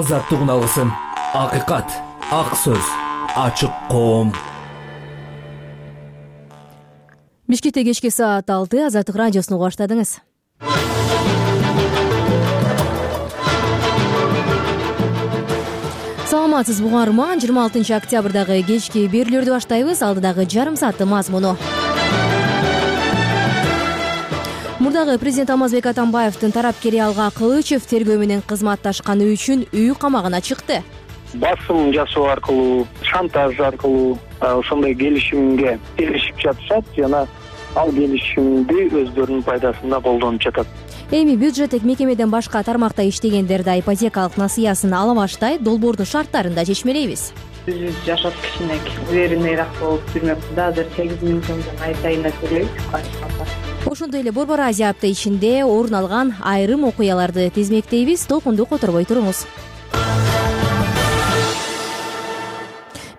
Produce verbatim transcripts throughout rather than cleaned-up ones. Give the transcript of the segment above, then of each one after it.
азаттык үналысын. Акыйкат, ак сөз, ачык коом. Бишкекте кечки саат алты Азаттык радиосун угуп баштадыңыз. Саламатсызбы угарман, жыйырма алтынчы октябрдагы кечки берүүлөрдү баштайбыз. Алдыдагы жарым сааттын мазмуну. Мурдагы президент Алмазбек Атамбаевдин тарапкери Алга Кылычев тергөө менен кызматташканы үчүн үй камагына чыкты. Басым жасоо аркылуу, шантаж аркылуу ошондой келишимге келишип жатышат жана ал келишимди өздөрүнүн пайдасына колдонуп жатат. Эми бюджеттик мекемеден башка тармакта иштегендер да ипотекалык насыясын ала баштай, долбоордун шарттарын да чечмелейбиз. Биз жашап кичине уверенныйраак болуп жүрмөкпүз да. Азыр сегиз миң сомдон ай сайына төлөйбүз. Ошондой эле Борбор Азия апта ичинде орун алган айрым окуяларды тизмектейбиз. Толкунду которбой туруңуз.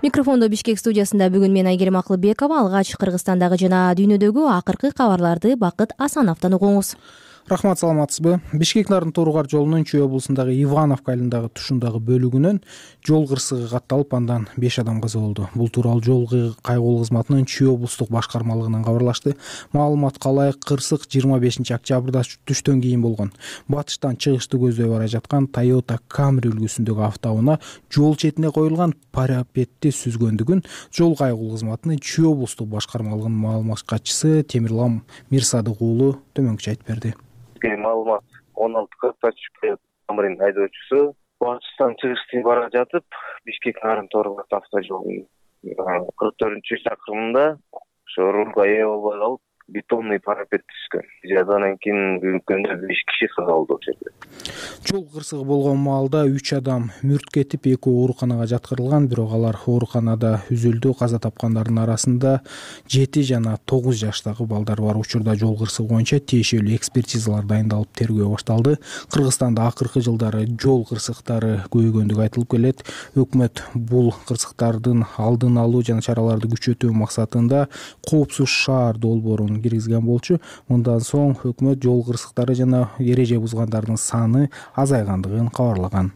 Микрофондо Бишкек студиясында бүгүн мен Айгерим Акылбекова. Алгач Кыргызстандагы жана дүйнөдөгү акыркы кабарларды Бакыт Асановдон угуңуз. Рахмат, саламатсызбы? Бишкек Нарын Тооругар жолунун Чүй облусундагы Ивановка айылындагы тушундагы бөлүгүнөн жол кырсыгы катталып, андан беш адам каза болду. Бул тууралуу жол кайгылуу кызматынын Чүй облустук башкармалыгынан кабарлашты. Маалыматка ылайык, кырсык жыйырма бешинчи октябрда түштөн кийин болгон. Батыштан чыгышты көздөй бара жаткан Toyota Camry үлгүсүндөгү автоунаа жол четине коюлган парапетти сүзгөндүгүн жол кайгылуу кызматынын Чүй облустук башкармалыгынын маалымат катчысы Темирлан Мирсадык уулу төмөнкүчө айтып берди. Маалымат он алты кырк Камрин айдоочусу батыштан чыгышты бара жатып, Бишкек Нарын Тооругар автожолунун кырк төртүнчү чакырымында ошо рулга ээ болбой калып, бетонный парапет түшкөн. Жадан кийин күнкөндө беш киши каза болду ошол жерде. Жол кырсыгы болгон маалда үч адам мүрт кетип, экөө ооруканага жаткырылган, бирок алар ооруканада үзүлдү. Каза тапкандардын арасында жети жана тогуз жаштагы балдар бар. Учурда жол кырсыгы боюнча тиешелүү экспертизалар дайындалып, тергөө башталды. Кыргызстанда акыркы жылдары жол кырсыктары көбөйгөндүгү айтылып келет. Өкмөт бул кырсыктардын алдын алуу жана чараларды күчөтүү максатында коопсуз шаар долбоорун киргизген болчу. Мындан соң өкмөт жол кырсыктары жана эреже бузгандардын саны азайгандыгын кабарлаган.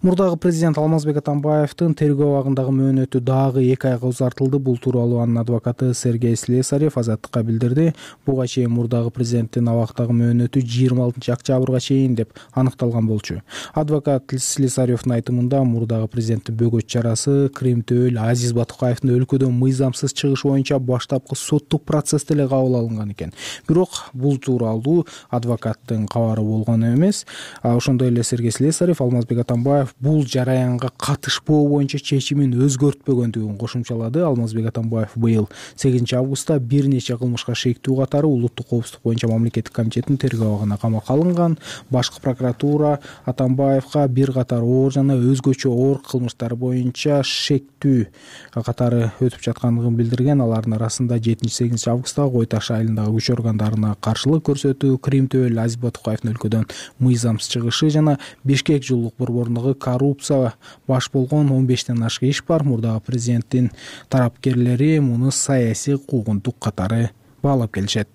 Мурдагы президент Алмазбек Атамбаевдин тергөө абагындагы мөөнөтү дагы эки айга узартылды. Бул тууралуу анын адвокаты Сергей Слесарев Азаттыкка билдирди. Буга чейин мурдагы президенттин абактагы мөөнөтү жыйырма алтынчы октябрга чейин деп аныкталган болчу. Адвокат Слесаревдин айтымында мурдагы президенттин бөгөт чарасы Кримтөөл Азиз Батукаевдин өлкөдөн мыйзамсыз чыгыш боюнча баштапкы соттук процессте эле кабыл алынган экен. Бирок бул тууралуу адвокаттын кабары болгон эмес. Ошондой эле Сергей Слесарев Алмазбек Атамбаев бул жараянга катышпоо боюнча чечимин өзгөртпөгөндүгүн кошумчалады. Алмазбек Атамбаев быйыл сегизинчи августта бир нече кылмышка шектүү катары улуттук коопсуздук боюнча мамлекеттик комитеттин тергөө абагына камакка алынган. Башкы прокуратура Атамбаевга бир катар оор жана өзгөчө оор кылмыштар боюнча шектүү катары өтүп жаткандыгын билдирген. Алардын арасында жетинчи сегизинчи августта Кой Таш айылындагы күч органдарына каршылык көрсөтүү, Кримтөөл Азиз Батукаевдин өлкөдөн мыйзамсыз чыгышы жана Бишкек жылуулук борборундағы коррупция баш болгон он бештен ашык иш бар. Мурдагы президенттин тарапкерлери муну саясий куугунтук катары баалап келишет.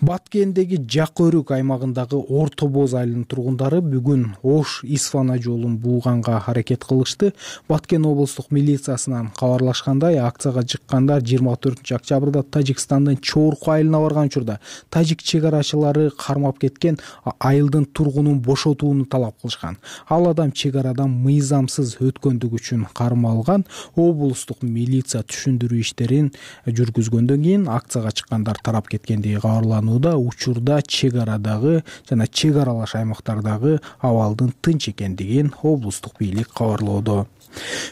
Баткендеги Жак Өрүк аймагындагы Орто Боз айылынын тургундары бүгүн Ош Исфана жолун бууганга аракет кылышты. Баткен облустук милициясынан кабарлашкандай, акцияга чыккандар жыйырма төртүнчү октябрда Тажикстандын Чорку айылына барган учурда тажик чек арачылары кармап кеткен айылдын тургунун бошотууну талап кылышкан. Ал адам чек арадан мыйзамсыз өткөндүгү үчүн кармалган. Облустук милиция түшүндүрүү иштерин жүргүзгөндөн кийин акцияга чыккандар тарап кеткендиги кабарланууда. Учурда чек арадагы жана чек аралаш аймактардагы абалдын тынч экендигин облустук бийлик кабарлоодо.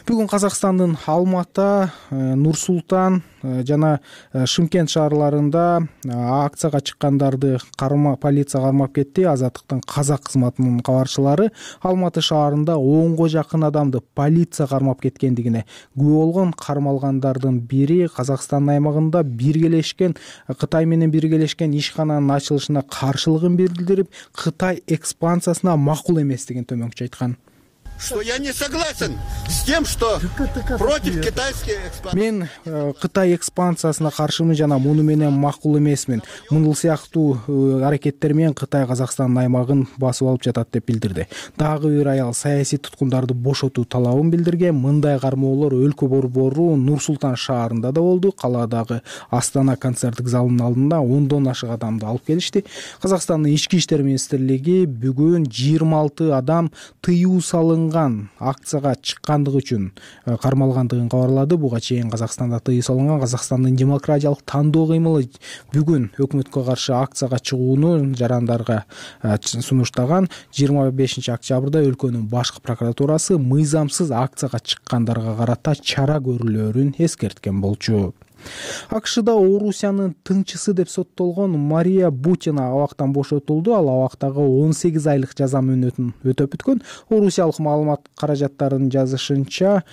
Бүгүн Казакстандын Алматы, Нур Султан жана Шымкент шаарларында акцияга чыккандарды карма полиция кармап кетти. Азаттыктын казак кызматынын кабарчылары Алматы шаарында онго жакын адамды полиция кармап кеткендигине күбө болгон. Кармалгандардын бири Казакстан аймагында биргелешкен Кытай менен биргелешкен ишкананын ачылышына каршылыгын билдирип, Кытай экспансиясына макул эместигин төмөнкүчө айткан. что я не согласен с тем, что против китайских экспансий. Мен Кытай экспансиясына каршымын жана муну менен макул эмесмин. Мунул сыяктуу аракеттер менен Кытай Казакстандын аймагын басып алып жатат деп билдирди. Дагы бир аял саясий туткундарды бошотуу талабын билдирген. Мындай кармоолор өлкө борбору Нур-Султан шаарында да болду. Калаадагы Астана концерттик залынын алдында ондон ашык адамды алып келишти. Казакстандын ички иштер министрлиги бүгүн жыйырма алты адам тыюу салынган акцияга чыккандыгы үчүн кармалгандыгын кабарлады. Буга чейин Казакстанда тыюу салынган Казакстандын демократиялык тандоо кыймылы бүгүн өкмөткө каршы акцияга чыгууну жарандарга сунуштаган. жыйырма бешинчи октябрда өлкөнүн башкы прокуратурасы мыйзамсыз акцияга чыккандарга карата чара көрүлөөрүн эскерткен болчу. АКШда Орусиянын тыңчысы деп соттолгон Мария Бутина абактан бошотулду. Ал абактагы он сегиз айлык жаза мөөнөтүн өтөп бүткөн. Орусиялык маалымат каражаттарынын жазышынча,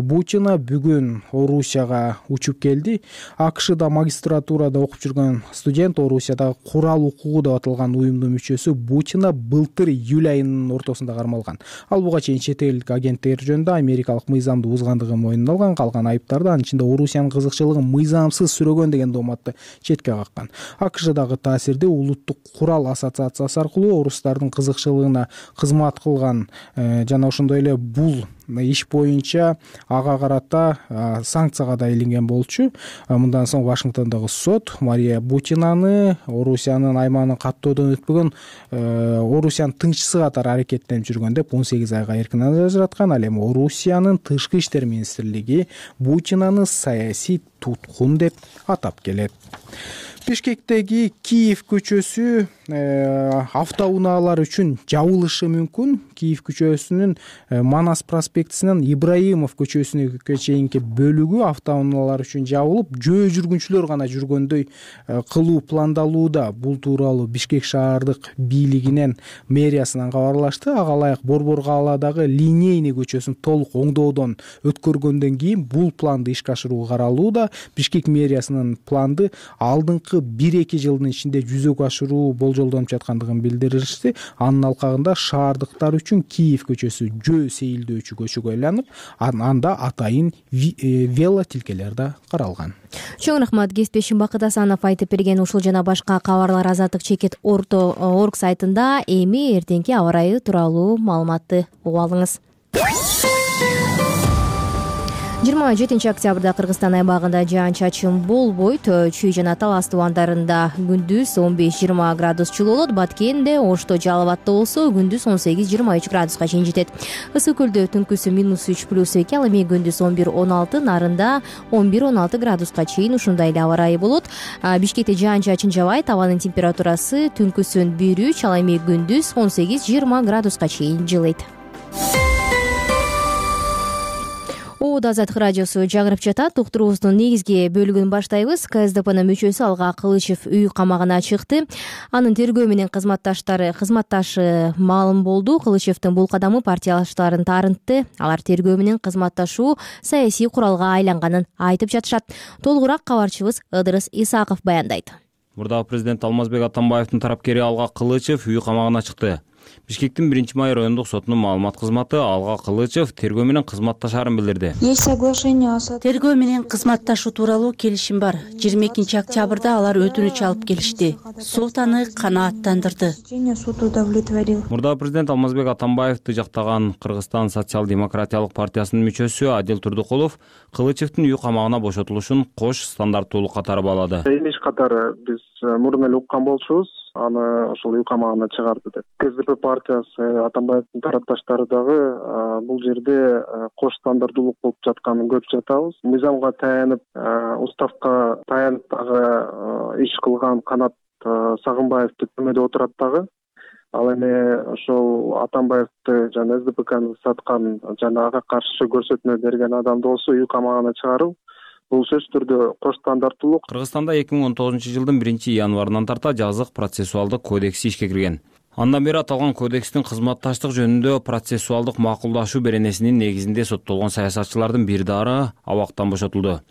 Бутина бүгүн Орусияга учуп келди. АКШда магистратурада окуп жүргөн студент, Орусиядагы курал укугу деп аталган уюмдун мүчөсү Бутина былтыр июль айынын ортосунда кармалган. Ал буга чейин чет элдик агенттер жөнүндө америкалык мыйзамды бузгандыгын мойнуна алган. Калган айыптарды анын ичинде Орусиянын кызыкчылыгын мыйзамсыз сүрөгөн деген дооматты четке каккан. АКШдагы таасирди улуттук курал ассоциациясы аркылуу орустардын кызыкчылыгына кызмат кылган жана ошондой эле бул иш боюнча ага карата санкцияга да илинген болчу. Мындан соң Вашингтондогу сот Мария Бутинаны Орусиянын аймагын каттоодон өтпөгөн Орусиянын тыңчысы катары аракеттенип жүргөн деп он сегиз айга эркин ажыраткан. Ал эми Орусиянын тышкы иштер министрлиги Бутинаны саясий туткун деп атап келет. Бишкектеги Киев көчөсү автоунаалар үчүн жабылышы мүмкүн. Киев көчөсүнүн Манас проспектисинен Ибраимов көчөсүнө чейинки бөлүгү автоунаалар үчүн жабылып, жөө жүргүнчүлөр гана жүргөндөй кылуу пландалууда. Бул тууралуу Бишкек шаардык бийлигинен мэриясынан кабарлашты. Ага ылайык Борбор калаадагы Линейный көчөсүн толук оңдоодон өткөргөндөн кийин бул планды ишке ашыруу каралууда. Бишкек мэриясынын планды алдыңкы бир эки жылдын ичинде жүзөгө ашыруу болжолдонуп жаткандыгын билдиришти. Анын алкагында шаардыктар үчүн Киев көчөсү жөө сейилдөөчү көчөгө айланып, анда атайын вело тилкелер да каралган. Чоң рахмат, кесиптешим Бакыт Асанов айтып берген ушул жана башка кабарлар Азаттык чекит орг сайтында. Эми эртеңки аба ырайы тууралуу маалыматты угуп алыңыз. жыйырма жетинчи октябрда Кыргызстан аймагында жаан-чачын болбойт. Чүй жана Талас тубандарында күндүз он беш жыйырма градус жылуу болот. Баткенде, Ошто, Жалал абадта болсо күндүз он сегиз жыйырма үч градуска чейин жетет. Ысык көлдө түнкүсү минус үч плюс эки, ал эми күндүз он бир он алты, Нарында он бир он алты градуска чейин ушундай эле аба ырайы болот. Бишкекте жаан-чачын жабайт. Абанын температурасы түнкүсүн бир үч, ал эми күндүз он сегиз жыйырма градуска чейин жылыйт. Оодо Азаттык радиосу жагырып жатат. Уктуруубуздун негизги бөлүгүн баштайбыз. КСДПнын мүчөсү Алга Кылычев үй камагына чыкты. Анын тергөө менен кызматташтары кызматташы маалым болду. Кылычевдин бул кадамы партиялаштарын таарынтты. Алар тергөө менен кызматташуу саясий куралга айланганын айтып жатышат. Толугураак кабарчыбыз Ыдырыс Исаков баяндайт. Мурдагы президент Алмазбек Атамбаевдин тарапкери Алга Кылычев үй камагына чыкты. Бишкектин биринчи май райондук сотунун маалымат кызматы Алга Кылычев тергөө менен кызматташаарын билдирди. Тергөө менен кызматташуу тууралуу келишим бар. жыйырма экинчи октябрда алар өтүнүч алып келишти. Сот аны канааттандырды. Мурдагы президент Алмазбек Атамбаевди жактаган Кыргызстан социал-демократиялык партиясынын мүчөсү Адил Турдукулов Кылычевдин үй камагына бошотулушун кош стандарттуулук катары баалады. Эмес катары биз мурун эле уккан болчубуз, аны ошол үй камагына чыгарды деп. КСДП партиясы Атамбаевдин тарапташтары дагы бул жерде кош стандарттуулук болуп жатканын көрүп жатабыз. Мыйзамга таянып, уставка таянып дагы иш кылган Канат Сагынбаевди түрмөдө отурат дагы. Ал эми ошол Атамбаевди жана СДПКны саткан жана ага каршы көрсөтмө берген адамды болсо үй камагына чыгаруу бул сөзсүз түрдө кош стандарттуулук. Кыргызстанда эки миң он тогузунчу жылдын биринчи январынан тарта жазык процессуалдык кодекси ишке кирген. Андан бери аталган кодекстин кызматташтык жөнүндө процессуалдык макулдашуу беренесинин негизинде соттолгон саясатчылардын бир дары абактан бошотулду.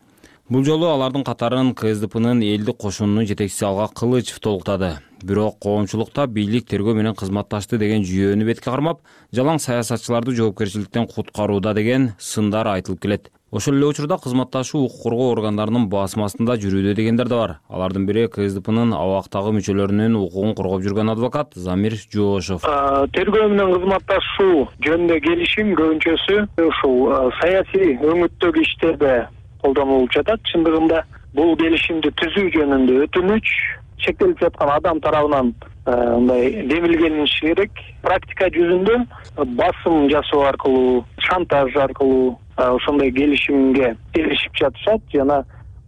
Бул жолу алардын катарын КСДПнын элдик кошунунун жетекчиси Алга Кылычев толуктады. Бирок коомчулукта бийлик тергөө менен кызматташты деген жүйөнү бетке кармап, жалаң саясатчыларды жоопкерчиликтен куткарууда деген сындар айтылып келет. Ошол эле учурда кызматташуу укук коргоо органдарынын басым астында жүрүүдө дегендер да бар. Алардын бири КСДПнын абактагы мүчөлөрүнүн укугун коргоп жүргөн адвокат Замир Жоошов. Тергөө менен кызматташуу жөнүндө келишим көбүнчөсү ушул саясий өңүттөгү иштерде колдонулуп жатат. Чындыгында бул келишимди түзүү жөнүндө өтүнүч чектелип жаткан адам тарабынан мындай демилгениши керек. Практика жүзүндө басым жасоо аркылуу, шантаж аркылуу ошондой келишимге келишип жатышат жана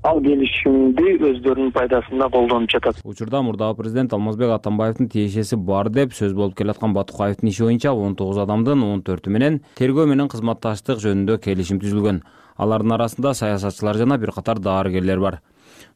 ал келишимди өздөрүнүн пайдасына колдонуп жатат. Учурда мурдагы президент Алмазбек Атамбаевдин тиешеси бар деп сөз болуп келаткан Батукаевдин иши боюнча он тогуз адамдын он төртү менен тергөө менен кызматташтык жөнүндө келишим түзүлгөн. Алардын арасында саясатчылар жана бир катар дарыгерлер бар.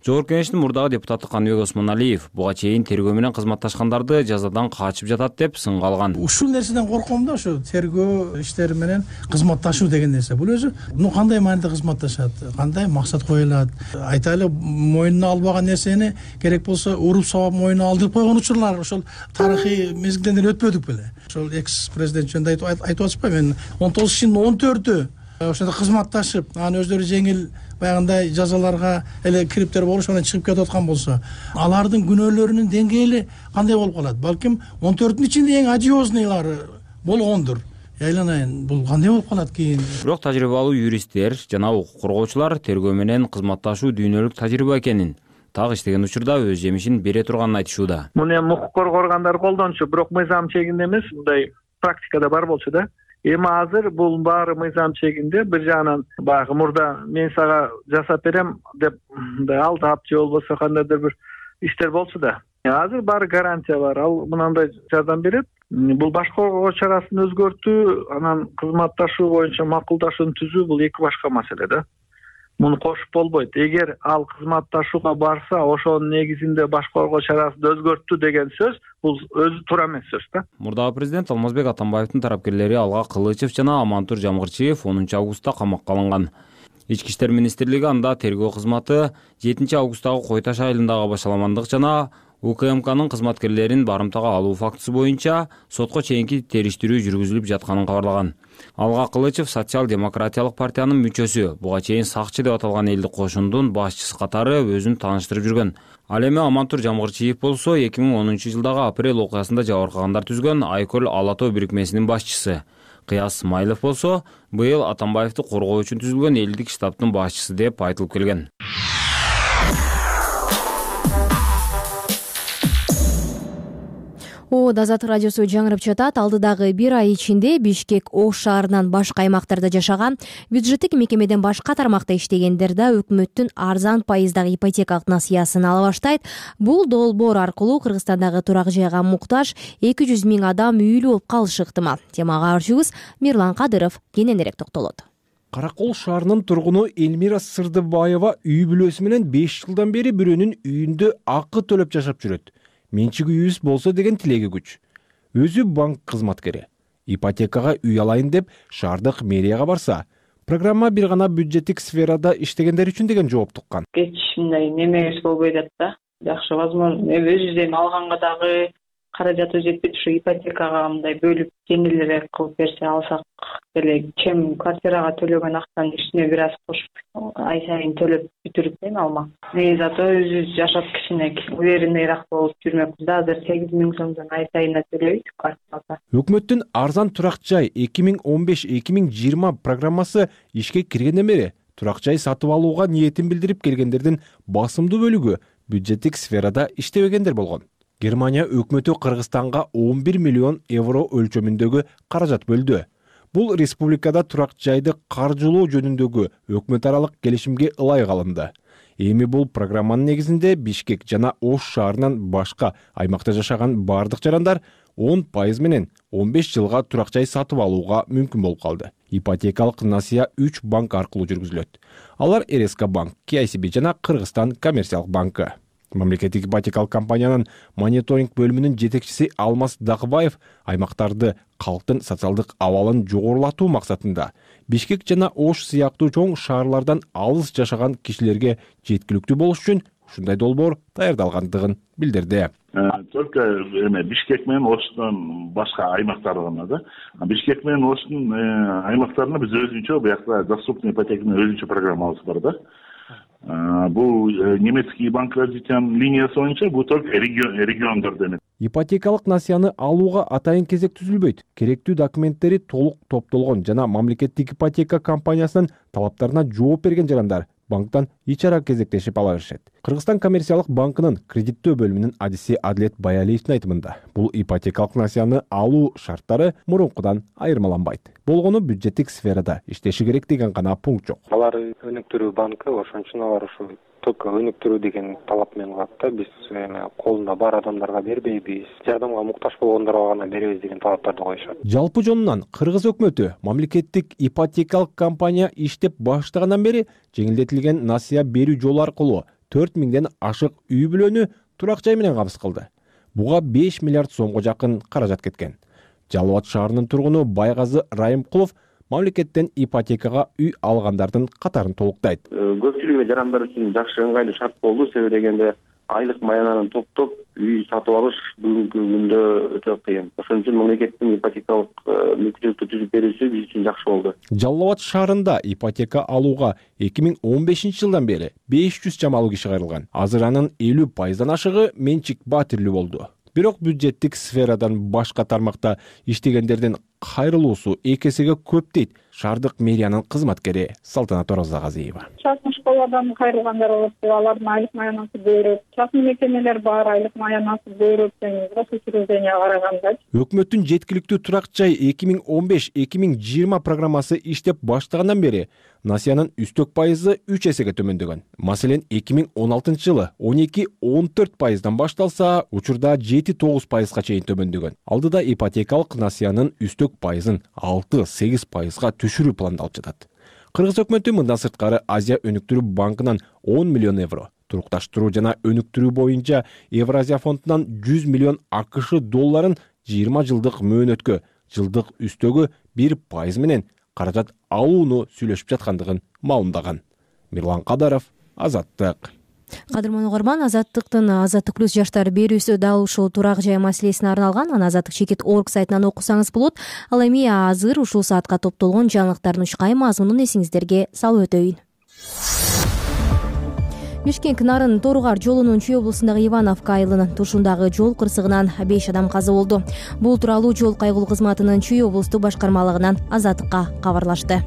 Жогорку Кеңештин мурдагы депутаты Каныбек Осмоналиев буга чейин тергөө менен кызматташкандарды жазадан качып жатат деп сынга алган. Ушул нерседен корком да, ошо тергөө иштери менен кызматташуу деген нерсе. Бул өзү ну кандай мааниде кызматташат, кандай максат коюлат. Айтайлы мойнуна албаган нерсени керек болсо уруп сабап мойнуна алдырып койгон учурлар ошол тарыхый мезгилден өтпөдүк беле. Ошол экс президент жөнүндө айтып атышпайбы, мен он тогуз кишинин он төртү ошондо кызматташып, анан өздөрү жеңил баягындай жазаларга эле кириптер болуш, анан чыгып кетип аткан болсо, алардын күнөөлөрүнүн деңгээли кандай болуп калат? Балким он төртүнүн ичинде эң одиозныйлары болгондур. Айланайын, бул кандай болуп калат кийин? Бирок тажрыйбалуу юристтер жана укук коргоочулар тергөө менен кызматташуу дүйнөлүк тажрыйба экенин, так иштеген учурда өз жемишин бере турганын айтышууда. Муну эми укук коргоо органдары колдончу, бирок мыйзам чегинде эмес, мындай практикада бар болчу да. Эми азыр бул баары мыйзам чегинде. Бир жагынан баягы мурда мен сага жасап берем деп мындай алдап же болбосо кандайдыр бир иштер болчу да. Азыр баары гарантия бар. Ал мынандай жардам берет. Бул баш коргоо чарасын өзгөртүү, анан кызматташуу боюнча макулдашууну түзүү бул эки башка маселе да. Муну кошуп болбойт. Эгер ал кызматташууга барса, ошонун негизинде баш коргоо чарасын өзгөрттү деген сөз, бул өзү туура эмес сөз да. Мурдагы президент Алмазбек Атамбаевдин тарапкерлери Алга Кылычев жана Амантур Жамгырчиев онунчу августта камакка алынган. Ички иштер министрлиги анда тергөө кызматы жетинчи августтагы Кой Таш айылындагы башаламандык жана УКМКнын кызматкерлерин барымтага алуу фактысы боюнча сотко чейинки териштирүү жүргүзүлүп жатканын кабарлаган. Алга Кылычев социал-демократиялык партиянын мүчөсү, буга чейин сакчы деп аталган элдик кошундун башчысы катары өзүн тааныштырып жүргөн. Ал эми Амантур Жамгырчиев болсо эки миң онунчу жылдагы апрель окуясында жабыркагандар түзгөн Айкөл Ала-тоо бирикмесинин башчысы. Кыяс Смайлов болсо быйыл Атамбаевди коргоо үчүн түзүлгөн элдик штабтын башчысы деп айтылып келген. О, Азат радиосу жаңырып жатат. Алдыдагы бир ай ичинде Бишкек Ош шаарынан башка аймактарда жашаган, бюджеттик мекемеден башка тармакта иштегендер да өкмөттүн арзан пайыздагы ипотекалык насыясын ала баштайт. Бул долбоор аркылуу Кыргызстандагы турак жайга муктаж эки жүз миң адам үйлүү болуп калышы ыктымал. Темага арчыбыз Мирлан Кадыров кененирээк токтолот. Каракол шаарынын тургуну Элмира Сырдыбаева үй бүлөсү менен беш жылдан бери бирөөнүн үйүндө акы төлөп жашап жүрөт. Менчик үйүбүз болсо деген тилеги күч. Өзү банк кызматкери. Ипотекага үй алайын деп шаардык мэрияга барса, программа бир гана бюджеттик сферада иштегендер үчүн деген жооп туккан. Эч мындай немебиз болбой атат да. Жакшы, возможно, өзүбүздөн алганга дагы каражаты жетпейт, ушу ипотекага мындай бөлүп жеңилирээк кылып берсе алсак эле, чем квартирага төлөгөн акчаны үстүнө бир аз кошуп ай сайын төлөп бүтүрүп эми алмак. Негизи зато өзүбүз жашап кичинек уверенныйраак болуп жүрмөкпүз да. Азыр сегиз миң сомдон ай сайына төлөйбүз квартирага. Өкмөттүн арзан турак жай эки миң он беш эки миң жыйырма программасы ишке киргенден бери турак жай сатып алууга ниетин билдирип келгендердин басымдуу бөлүгү бюджеттик сферада иштебегендер болгон. Германия өкмөтү Кыргызстанга он бир миллион евро өлчөмүндөгү каражат бөлдү. Бул республикада турак жайды каржылоо жөнүндөгү өкмөт аралык келишимге ылайык алынды. Эми бул программанын негизинде Бишкек жана Ош шаарынан башка аймакта жашаган бардык жарандар он пайыз менен он беш жылга турак жай сатып алууга мүмкүн болуп калды. Ипотекалык насыя үч банк аркылуу жүргүзүлөт. Алар эр эс ка банк, Ке ай си би жана Кыргызстан коммерциялык банкы. Мамлекеттик ипотекалык компаниянын мониторинг бөлүмүнүн жетекчиси Алмаз Дакыбаев аймактарды калктын социалдык абалын жогорулатуу максатында Бишкек жана Ош сыяктуу чоң шаарлардан алыс жашаган кишилерге жеткиликтүү болуш үчүн ушундай долбоор даярдалгандыгын билдирди. Только эме Бишкек менен Ошдон башка аймактар гана да. Бишкек менен Оштун аймактарында биз өзүнчө буякта доступный ипотеканын өзүнчө программабыз бар да. Бул немецкий банк развития линиясы боюнча бул только региондордо эмес. Ипотекалык насыяны алууга атайын кезек түзүлбөйт. Керектүү документтери толук топтолгон жана мамлекеттик ипотека компаниясынын талаптарына жооп берген жарандар банктан эч ара кезектешип ала беришет. Кыргызстан коммерциялык банкынын кредиттөө бөлүмүнүн адиси Адлет Баялиевдин айтымында, бул ипотекалык насыяны алуу шарттары мурункудан айырмаланбайт. Болгону бюджеттик сферада иштеши керек деген гана пункт жок. Алар өнүктүрүү банкы, ошон үчүн алар ушу только өнүктүрүү деген талап менен калат да. Биз эме колунда бар адамдарга бербейбиз, жардамга муктаж болгондорго гана беребиз деген талаптарды коюшат. Жалпы жонунан Кыргыз өкмөтү мамлекеттик ипотекалык компания иштеп баштагандан бери жеңилдетилген насыя берүү жолу аркылуу төрт миңден ашык үй бүлөнү турак жай менен кабыз кылды. Буга беш миллиард сомго жакын каражат кеткен. Жалал Абад шаарынын тургуну Байгазы Райымкулов мамлекеттен ипотекага үй алгандардын катарын толуктайт. Көпчүлүк жарандар үчүн жакшы ыңгайлуу шарт болду. Себеби дегенде айлык маянанын топтоп үй сатып алыш бүгүнкү күндө өтө кыйын. Ошон үчүн мамлекеттин ипотекалык мүмкүнчүлүктү түзүп берүүсү биз үчүн жакшы болду. Жалал Абад шаарында ипотека алууга эки миң он бешинчи жылдан бери беш жүз чамалуу киши кайрылган. Азыр анын элүү пайыздан ашыгы менчик баатирлүү болду. Бирок бюджеттик сферадан башка тармакта иштегендердин кайрылуусу эки эсеге көп дейт шаардык мэриянын кызматкери Салтанат Оразагазиева. Частный школадан кайрылгандар болот, алардын айлык маянасы көбүрөөк. Частный мекемелер бар, айлык маянасы көбүрөөк гос учрежденияга караганда. Өкмөттүн жеткиликтүү турак жай эки миң он беш эки миң жыйырма программасы иштеп баштагандан бери насыянын үстөк пайызы үч эсеге төмөндөгөн. Маселен, эки миң он алтынчы жылы он эки он төрт пайыздан башталса, учурда жети тогуз пайызга чейин төмөндөгөн. Алдыда ипотекалык насыянын үстөк пайызын алты сегиз пайызга түшүрүү пландалып жатат. Кыргыз өкмөтү мындан сырткары Азия өнүктүрүү банкынан он миллион евро, турукташтыруу жана өнүктүрүү боюнча Евразия фондунан жүз миллион АКШ долларын жыйырма жылдык мөөнөткө жылдык үстөгү бир пайыз менен каражат алууну сүйлөшүп жаткандыгын маалымдаган. Мирлан Кадаров, Азаттык. Кадырман угарман, Азаттыктын Азаттык плюс жаштар берүүсү дал ушул турак жай маселесине арналган. Аны Азаттык чекит орг сайтынан окусаңыз болот. Ал эми азыр ушул саатка топтолгон жаңылыктардын учкай мазмунун эсиңиздерге салып өтөйүн. Бишкек Нарын Торугар жолунун Чүй облусундагы Ивановка айылынын тушундагы жол кырсыгынан беш адам каза болду. Бул тууралуу жол кайгылуу кызматынын Чүй облустук башкармалыгынан Азаттыкка кабарлашты.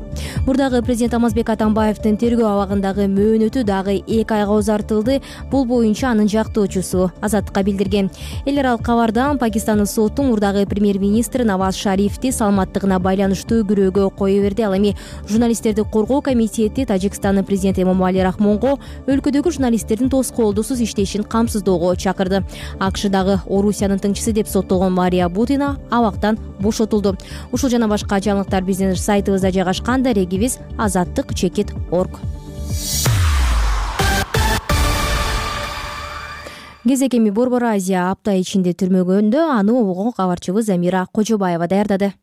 Мурдагы президент Алмазбек Атамбаевдин тергөө абагындагы мөөнөтү дагы эки айга узартылды. Бул боюнча анын жактоочусу Азаттыкка билдирген. Эл аралык кабардан Пакистандын соту мурдагы премьер-министр Наваз Шарифти саламаттыгына байланыштуу күрөөгө кое берди. Ал эми журналисттерди коргоо комитети Тажикстандын президенти Эмомали Рахмонго өлкөдөгү журналисттердин тоскоолдусуз иштешин камсыздоого чакырды. АКШдагы Орусиянын тыңчысы деп соттолгон Мария Бутина абактан бошотулду. Ушул жана башка жаңылыктар биздин сайтыбызда жайгашкан. Дарегибиз азаттык чекит точка орг. Кезек эми Борбор Азия апта ичинде түрмөгөндө, аны обого кабарчыбыз Замира Кожобаева даярдады.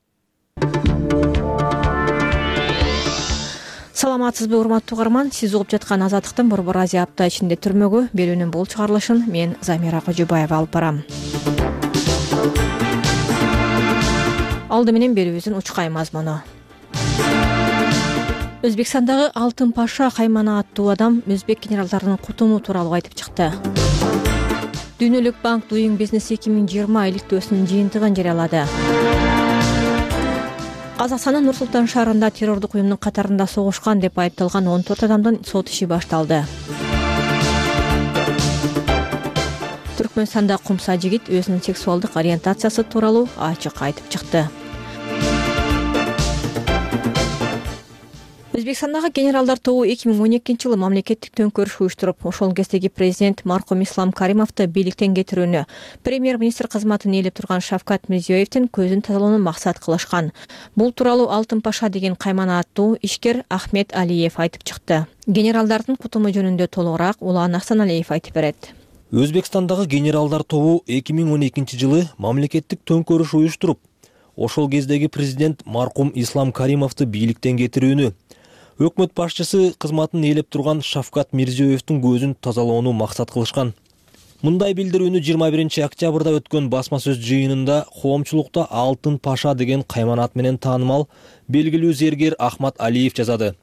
Саламатсызбы, урматтуу угарман? Сиз угуп жаткан Азаттыктын Борбор Азия апта ичинде түрмөгө берүүнүн бул чыгарылышын мен Замира Кожобаева алып барам. Алды менен берүүбүздүн учкай мазмуну. Өзбекстандагы Алтын Паша Каймана аттуу адам өзбек генералдарынын кутуму тууралуу айтып чыкты. Дүйнөлүк банк Doing Business эки миң жыйырма иликтөөсүнүн жыйынтыгын жарыялады. Казакстандын Нур-Султан шаарында террордук уюмдун катарында согушкан деп айыпталган он төрт адамдын сот иши башталды. Түркмөнстанда кумса жигит өзүнүн сексуалдык ориентациясы тууралуу ачык айтып чыкты. Өзбекстандагы генералдар тобу эки миң он экинчи жылы мамлекеттик төңкөрүш уюштуруп, ошол кездеги президент маркум Ислам Каримовду бийликтен кетирүүнү, премьер-министр кызматын ээлеп турган Шавкат Мирзиёевдин көзүн тазалоону максат кылышкан. Бул тууралуу Алтын Паша деген Каймана аттуу ишкер Ахмед Алиев айтып чыкты. Генералдардын кутуму жөнүндө толугураак Улан Ахсаналиев айтып берет. Өзбекстандагы генералдар тобу эки миң он экинчи жылы мамлекеттик төңкөрүш уюштуруп, ошол кездеги президент маркум Ислам Каримовду бийликтен кетирүүнү, өкмөт башчысы кызматын ээлеп турган Шавкат Мирзиёевдин көзүн тазалоону максат кылышкан. Мындай билдирүүнү жыйырма биринчи октябрда өткөн басма сөз жыйынында коомчулукта Алтын Паша деген кайманат менен таанымал белгилүү зергер Ахмат Алиев жазады.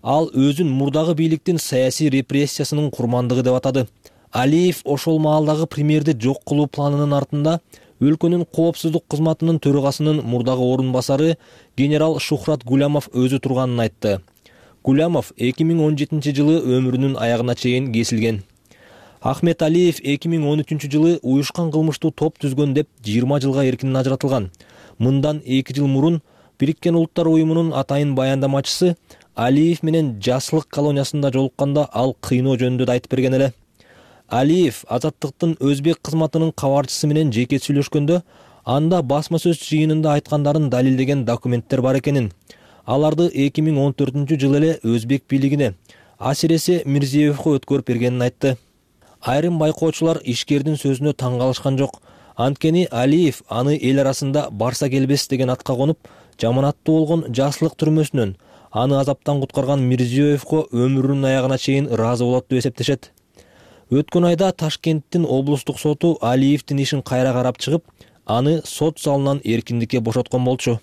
Ал өзүн мурдагы бийликтин саясий репрессиясынын курмандыгы деп атады. Алиев ошол маалдагы премьерди жок кылуу планынын артында өлкөнүн коопсуздук кызматынын төрагасынын мурдагы орун басары генерал Шухрат Гулямов өзү турганын айтты. Гулямов эки миң он жетинчи жылы өмүрүнүн аягына чейин кесилген. Ахмет Алиев эки миң он үчүнчү жылы уюшкан кылмыштуу топ түзгөн деп жыйырма жылга эркинен ажыратылган. Мындан эки жыл мурун Бириккен Улуттар уюмунун атайын баяндамачысы Алиев менен Жаслык колониясында жолукканда ал кыйноо жөнүндө айтып берген эле. Алиев Азаттыктын өзбек кызматынын кабарчысы менен жеке сүйлөшкөндө анда басма сөз жыйынында айткандарын далилдеген документтер бар экенин. Аларды эки миң он төртүнчү жылы эле өзбек бийлигине, асиресе Мирзиёевго өткөрүп бергенин айтты. Айрым байкоочулар ишкердин сөзүнө таң калышкан жок. Анткени Алиев аны эл арасында барса келбес деген атка конуп, жаманаттуу болгон Жаслык түрмөсүнөн аны азаптан куткарган Мирзиёевго өмүрүнүн аягына чейин ыраазы болот деп эсептешет. Өткөн айда Ташкенттин облустук соту Алиевдин ишин кайра карап чыгып, аны сот залынан эркиндикке бошоткон болчу.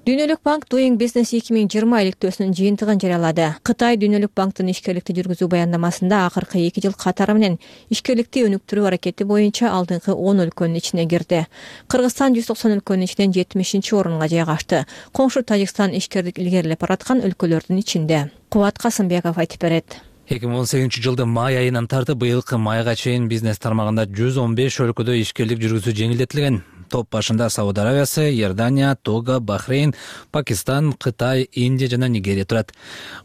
Дүйнөлүк банк Doing Business эки миң жыйырма иликтөөсүнүн жыйынтыгын жарыялады. Кытай Дүйнөлүк банктын ишкерликти жүргүзүү баяндамасында акыркы эки жыл катары менен ишкерликти өнүктүрүү аракети боюнча алдыңкы он өлкөнүн ичине кирди. Кыргызстан жүз токсон өлкөнүн ичинен жетимишинчи орунга жайгашты. Коңшу Тажикстан ишкерлик илгерилеп бараткан өлкөлөрдүн ичинде. Кубат Касымбеков айтып берет. эки миң он сегизинчи жылдын май айынан тартып быйылкы майга чейин бизнес тармагында жүз он беш өлкөдө ишкерлик жүргүзүү жеңилдетилген. Топ башында Сауд Арабиясы, Иордания, Того, Бахрейн, Пакистан, Кытай, Индия жана Нигерия турат.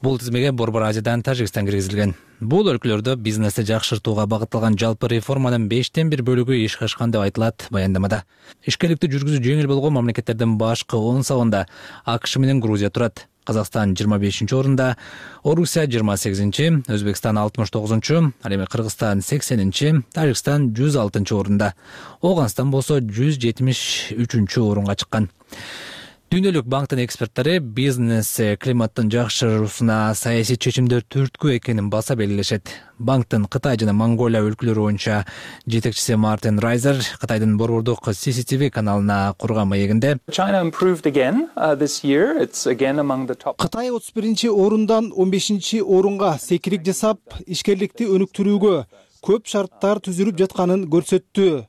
Бул тизмеге Борбор Азиядан Тажикстан киргизилген. Бул өлкөлөрдө бизнести жакшыртууга багытталган жалпы реформанын бештен бир бөлүгү ишке ашкан деп айтылат баяндамада. Ишкерликти жүргүзүү жеңил болгон мамлекеттердин башкы он сабында АКШ менен Грузия турат. Казакстан жыйырма бешинчи орунда, Орусия жыйырма сегизинчи, Өзбекстан алтымыш тогузунчу, ал эми Кыргызстан сексенинчи, Тажикстан жүз алтынчы орунда. Оганстан болсо жүз жетимиш үчүнчү орунга чыккан. Дүйнөлүк банктын эксперттери бизнес климаттын жакшыруусуна саясий чечимдер түрткү экенин баса белгилешет. Банктын Кытай жана Монголия өлкөлөрү боюнча жетекчиси Мартин Райзер Кытайдын борбордук си си ти ви каналына курган маегинде Кытай отуз биринчи орундан он бешинчи орунга секирик жасап, ишкерликти өнүктүрүүгө көп шарттар түзүлүп жатканын көрсөттү.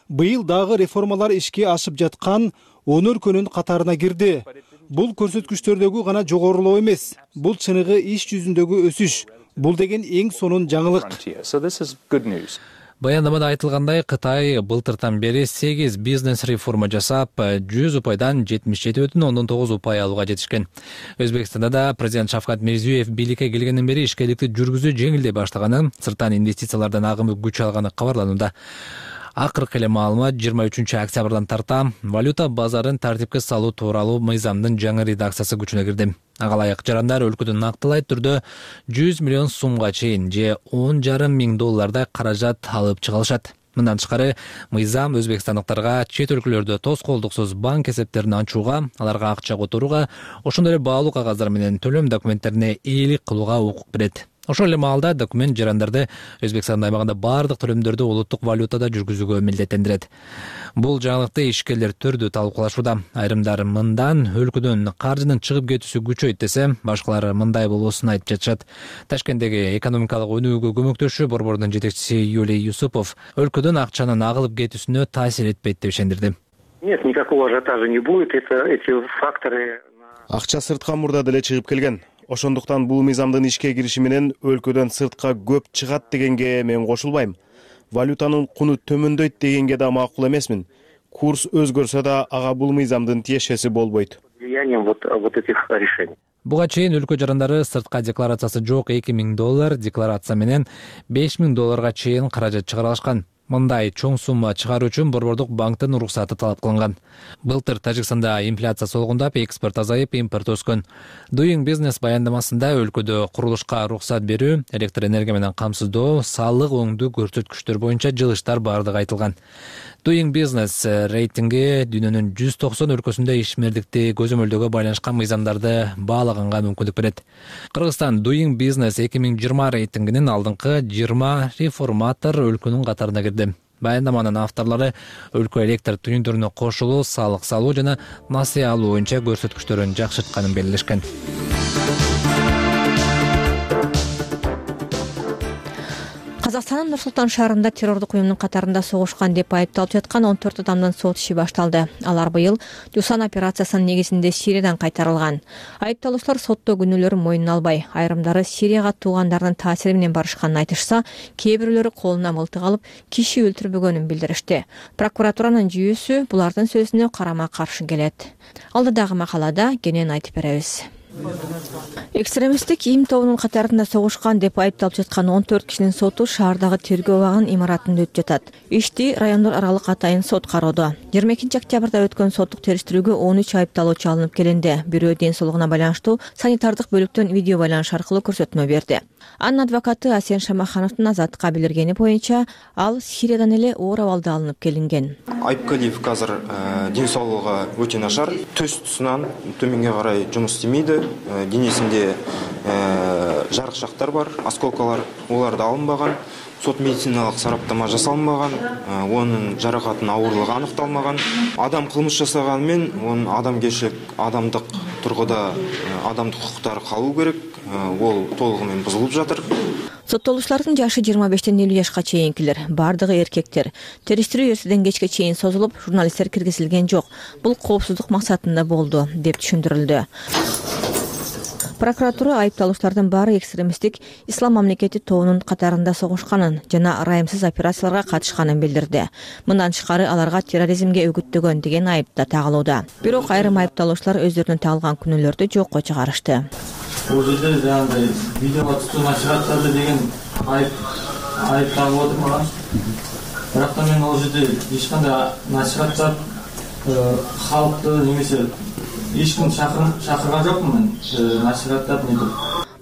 Быйыл дагы реформалар ишке ашып жаткан он өлкөнүн катарына кирди. Бул көрсөткүчтөрдөгү гана жогорулоо эмес, бул чыныгы иш жүзүндөгү өсүш. Бул деген эң сонун жаңылык. Баяндамада айтылгандай, Кытай былтыртан бери сегиз бизнес реформа жасап, жүз упайдан жетимиш жети бүтүн ондон тогуз упай алууга жетишкен. Өзбекстанда да президент Шавкат Мирзиёев бийликке келгенден бери ишкерликти жүргүзүү жеңилдей баштаганы, сырттан инвестициялардан агымы күч алганы кабарланууда. Акыркы эле маалымат жыйырма үчүнчү октябрдан тарта валюта базарын тартипке салуу тууралуу мыйзамдын жаңы редакциясы күчүнө кирди. Ага ылайык жарандар өлкөдөн нактылай түрдө жүз миллион сумга чейин же он жарым миң доллардай каражат алып чыга алышат. Мындан тышкары, мыйзам өзбекстандыктарга чет өлкөлөрдө тоскоолдуксуз банк эсептерин ачууга, аларга акча которууга, ошондой эле баалуу кагаздар менен төлөм документтерине ээлик кылууга укук берет. Ошол эле маалда документ жарандарды Өзбекстан аймагында бардык төлөмдөрдү улуттук валютада жүргүзүүгө милдеттендирет. Бул жаңылыкты ишкерлер төрдү талкуулашууда. Айрымдар мындан өлкөдөн каржынын чыгып кетүүсү күчөйт десе, башкалар мындай болуусун айтып жатышат. Ташкенттеги экономикалык өнүүгө көмөктөшүү борбордун жетекчиси Юлий Юсупов өлкөдөн акчанын агылып кетүүсүнө таасир этпейт деп ишендирди. Нет, никакого ажиотажа не будет. Это эти факторы. Акча сыртка мурда деле чыгып келген. Ошондуктан бул мыйзамдын ишке кириши менен өлкөдөн сыртка көп чыгат дегенге мен кошулбайм. Валютанын куну төмөндөйт дегенге да макул эмесмин. Курс өзгөрсө да ага бул мыйзамдын тиешеси болбойт. Влиянием вот вот этих решений. Буга чейин өлкө жарандары сыртка декларациясы жок эки миң доллар, декларация менен беш миң долларга чейин каражат чыгара алышкан. Мындай чоң сумма чыгаруу үчүн борбордук банктын уруксаты талап кылынган. Былтыр Тажикстанда инфляция солгундап, экспорт азайып, импорт өскөн. Doing Business баяндамасында өлкөдө курулушка уруксат берүү, электр энергия менен камсыздоо, салык өңдүү көрсөткүчтөр боюнча жылыштар бардыгы айтылган. Doing Business рейтинги дүйнөнүн жүз токсон өлкөсүндө ишмердикти көзөмөлдөөгө байланышкан мыйзамдарды баалаганга мүмкүндүк берет. Кыргызстан Doing Business эки миң жыйырма рейтингинин алдыңкы жыйырма реформатор өлкөнүн катарына кирди. Баяндаманын авторлору өлкө электр түйүндөрүнө кошулуу, салык салуу жана насыя алуу боюнча көрсөткүчтөрүн жакшыртканын белгилешкен. Казакстандын Нур-Султан шаарында террордук уюмдун катарында согушкан деп айыпталып жаткан он төрт адамдын сот иши башталды. Алар быйыл Жусан операциясынын негизинде Сириядан кайтарылган. Айыпталуучулар сотто күнөөлөрүн мойнуна албай, айрымдары Сирияга туугандарынын таасири менен барышканын айтышса, кээ бирөөлөрү колуна мылтык алып, киши өлтүрбөгөнүн билдиришти. Прокуратуранын жүйүүсү булардын сөзүнө карама-каршы келет. Алдыдагы макалада кенен айтып беребиз. Экстремисттик им тобунун катарында согушкан деп айыпталып жаткан он төрт кишинин соту шаардагы тергөө абагынын имаратында өтүп жатат. Ишти райондор аралык атайын сот кароодо. жыйырма экинчи октябрда өткөн соттук териштирүүгө он үч айыпталуучу алынып келинди. Бирөө ден соолугуна байланыштуу санитардык бөлүктөн видео байланыш аркылуу көрсөтмө берди. Анын адвокаты Асен Шамахановдун азаттыкка билдиргени боюнча, ал Сириядан эле оор абалда алынып келинген. Айыпкалиев азыр ден соолугу өтө начар, төс тусунан төмөнгө карай жумуш истемейди. Денесинде жарыкчактар бар, осколкалар, оларды алынбаган. Сот медициналык сараптама жасалынбаган, онун жаракатынын ауырлыгы аныкталмаган. Адам кылмыш жасаганы менен онун адамгерчилик, адамдык тургуда адамдык укуктары калуу керек. Ол толугу менен бузулуп жатыр. Соттолуучулардын жашы жыйырма бештен элүү жашка чейинкилер, бардыгы эркектер. Териштирүү эртеден кечке чейин созулуп, журналисттер киргизилген жок. Бул коопсуздук максатында болду, деп түшүндүрүлдү. Прокуратура айыпталуучулардын баары экстремисттик ислам мамлекети тобунун катарында согушканын жана ырайымсыз операцияларга катышканын билдирди. Мындан тышкары аларга терроризмге үгүттөгөн деген айып да тагылууда. Бирок айрым айыпталуучулар өздөрүнүн тагылган күнөөлөрдү жокко чыгарышты. Бул жерде жанагындай видеого түтүү насихаттады деген айып айып тагылып отур мага. Бирок та мен ал жерде эч кандай насихаттап халыкты немесе эч ким чакырган жокмун мен насихаттап мынтип.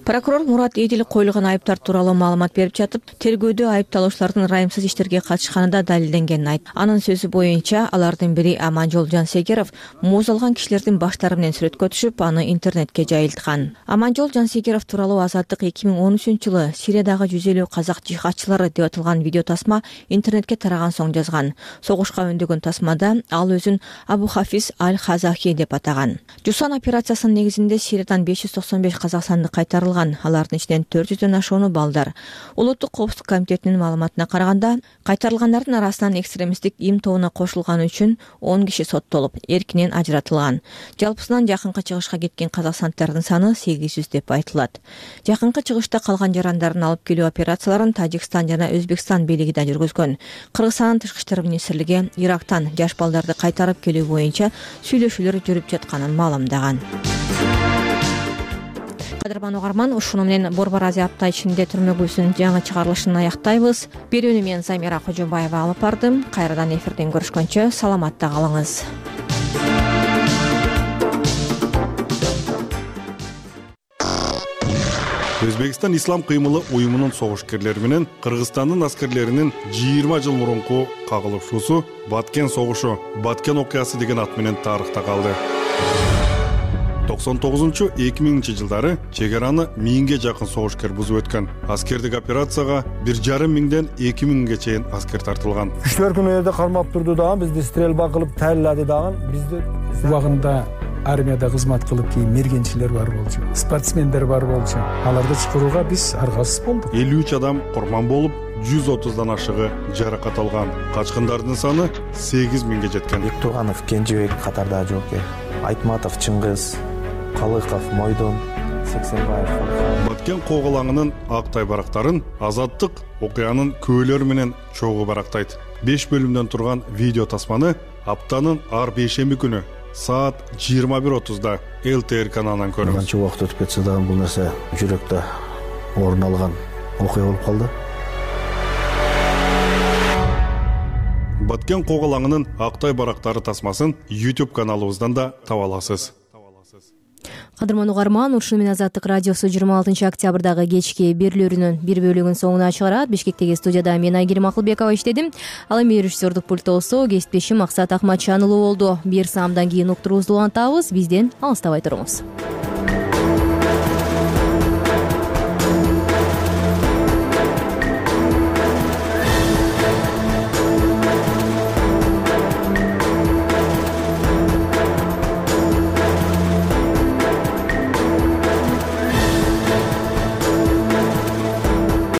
Прокурор Мурат Эдил коюлган айыптар тууралуу маалымат берип жатып, тергөөдө айыпталуучулардын ырайымсыз иштерге катышканы да далилденгенин айтты. Анын сөзү боюнча, алардын бири Аманжол Жансегеров муз алган кишилердин баштары менен сүрөткө түшүп, аны интернетке жайылткан. Аманжол Жансегеров тууралуу Азаттык эки миң он үчүнчү жылы Сириядагы жүз элүү казак жихадчылары деп аталган видео тасма интернетке тараган соң жазган. Согушка өндөгөн тасмада ал өзүн Абу Хафиз Аль-Хазахи деп атаган. Жусан операциясынын негизинде Сириядан беш жүз токсон беш казакстандык кайтарылган. Алардын ичинен төрт жүздөн ашууну балдар. Улуттук коопсуздук комитетинин маалыматына караганда, кайтарылгандардын арасынан экстремисттик им тобуна кошулганы үчүн он киши соттолуп, эркинен ажыратылган. Жалпысынан жакынкы чыгышка кеткен казакстанддардын саны сегиз жүз деп айтылат. Жакынкы чыгышта калган жарандарын алып келүү операцияларын Тажикстан жана Өзбекстан бийлиги да жүргүзгөн. Кыргызстандын тышкы иштер министрлиги Ирактан жаш балдарды кайтарып келүү боюнча сүйлөшүүлөр жүрүп жатканын маалымдаган. Кадырман угарман, ушуну менен Борбор Азия апта ичинде түрмөгүбүздүн жаңы чыгарылышын аяктайбыз. Берүүнү мен Замира Кожобаева алып бардым. Кайрадан эфирден көрүшкөнчө саламатта калыңыз. Өзбекстан ислам кыймылы уюмунун согушкерлери менен Кыргызстандын аскерлеринин жыйырма жыл мурунку кагылышуусу Баткен согушу, Баткен окуясы деген ат менен тарыхта калды. токсон тогузунчу эки миңинчи жылдары чек араны миңге жакын согушкер бузуп өткөн. Аскердик операцияга бир жарым миңден эки миңге чейин аскер тартылган. Күчтөр күнү жерде кармап турду дагы, бизди стрельба кылып таялады дагы. Бизди убагында армияда кызмат кылып кийин мергенчилер бар болчу, спортсмендер бар болчу. Аларды чакырууга биз аргасыз болдук. элүү үч адам курман болуп, жүз отуздан ашыгы жаракат алган. Качкындардын саны сегиз миңге жеткен. Бектурганов Кенжебек катарда жок. Айтматов Чыңгыз, Калыков Мойдон, Сексенбаев. Баткен коголаңынын актай барактарын Азаттык окуянын көөлөрү менен чогуу барактайт. беш бөлүмдөн турган видео тасманы аптанын ар бейшемби күнү саат жыйырма бир отузда эл тэ эр каналынан көрүңүз. Канча убакыт өтүп кетсе дагы бул нерсе жүрөктө орун алган окуя болуп калды. Баткен Коголаңынын Актай барактары тасмасын YouTube каналыбыздан да таба аласыз. Кадырман угарман, ушуну менен Азаттык радиосу жыйырма алтынчы октябрдагы кечки берүүлөрүнүн бир бөлүгүн соңуна чыгарат. Бишкектеги студияда мен Айгерим Акылбекова иштедим. Ал эми режиссердук пульттосу кесиптешим Максат Акматжанұлы болду. Бир саамдан кийин уктуруубузду улантабыз. Бизден алыстабай туруңуз.